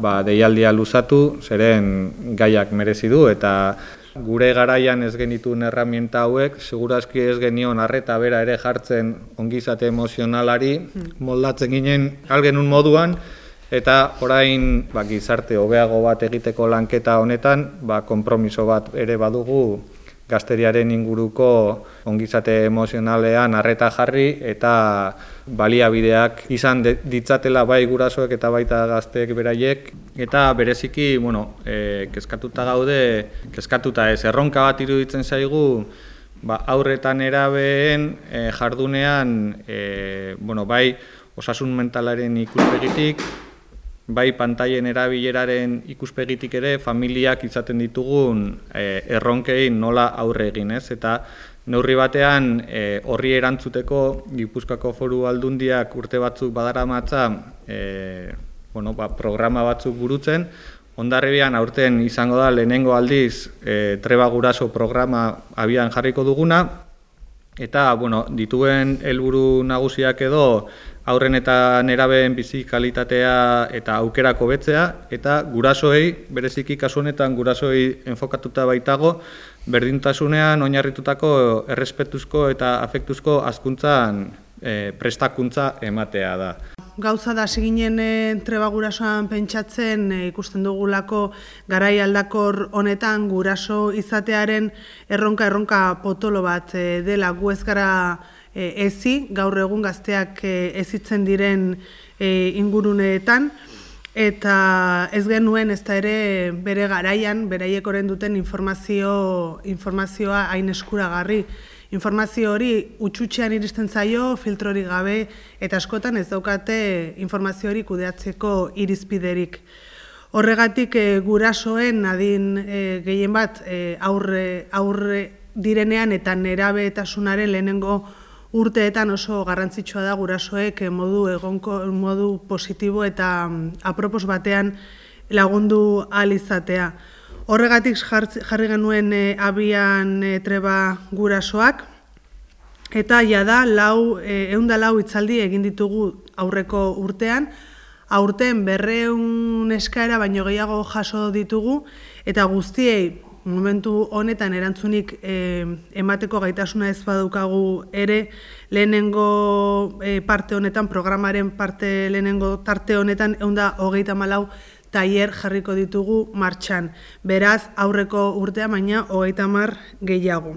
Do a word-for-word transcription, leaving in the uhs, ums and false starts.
ba, deialdia luzatu, zeren gaiak merezi du, eta gure garaian ez genituen erramienta hauek, segurazki ez genion arreta bera ere jartzen ongizate emozionalari, moldatzen ginen algenun moduan, eta orain ba, gizarte hobeago bat egiteko lanketa honetan, ba, konpromiso bat ere badugu gazteriaren inguruko ongizate emozionalean arreta jarri eta baliabideak izan ditzatela bai gurasoek eta baita gazteek beraiek. Eta bereziki, bueno, e, kezkatuta gaude, kezkatuta ez, erronka bat iruditzen zaigu, ba, haurre eta nerabeen e, jardunean, e, bueno, bai osasun mentalaren ikuspegitik, bai pantaien erabileraren ikuspegitik ere familiak izaten ditugun e, erronkei nola aurre egin, ez? Eta neurri batean e, horri erantzuteko Gipuzkoako Foru Aldundiak urte batzuk badaramatza e, bueno, ba, programa batzuk burutzen. Hondarribian aurten izango da lehenengo aldiz e, Treba Guraso programa abian jarriko duguna, eta bueno, dituen helburu nagusiak edo haurren eta nerabeen bizi kalitatea eta aukerak hobetzea, eta gurasoei, bereziki kasu honetan gurasoei enfokatuta baitago, berdintasunean oinarritutako errespetuzko eta afektuzko hazkuntzan e, prestakuntza ematea da. Gauza da hasi ginen e, Treba Gurasoan pentsatzen e, ikusten dugulako garai aldakor honetan guraso izatearen erronka erronka potolo bat e, dela gu ez gara e, ezi, gaur egun gazteak e, ezitzen diren e, inguruneetan, eta ez genuen ez da ere bere garaian, beraiek oren duten informazio, informazioa hain eskuragarri. Informazio hori utxutxean iristen zaio, filtrori gabe, eta askotan ez daukate informazio hori kudeatzeko irizpiderik. Horregatik e, gurasoen adin e, gehien bat e, aurre, aurre direnean eta nerabetasunaren lehenengo urteetan oso garrantzitsua da gurasoek modu egonko, modu positibo eta apropos batean lagundu ahal izatea. Horregatik jarri genuen e, abian e, Treba Gurasoak, eta jada lau, e, ehun eta lau hitzaldi egin ditugu aurreko urtean, aurten berrehun eskaera baino gehiago jaso ditugu, eta guztiei momentu honetan erantzunik e, emateko gaitasuna ez badaukagu ere, lehenengo e, parte honetan, programaren parte lehenengo tarte honetan, ehun eta hogeita hamalau tailer jarriko ditugu martxan. Beraz, aurreko urtea baina hogeita hamar gehiago.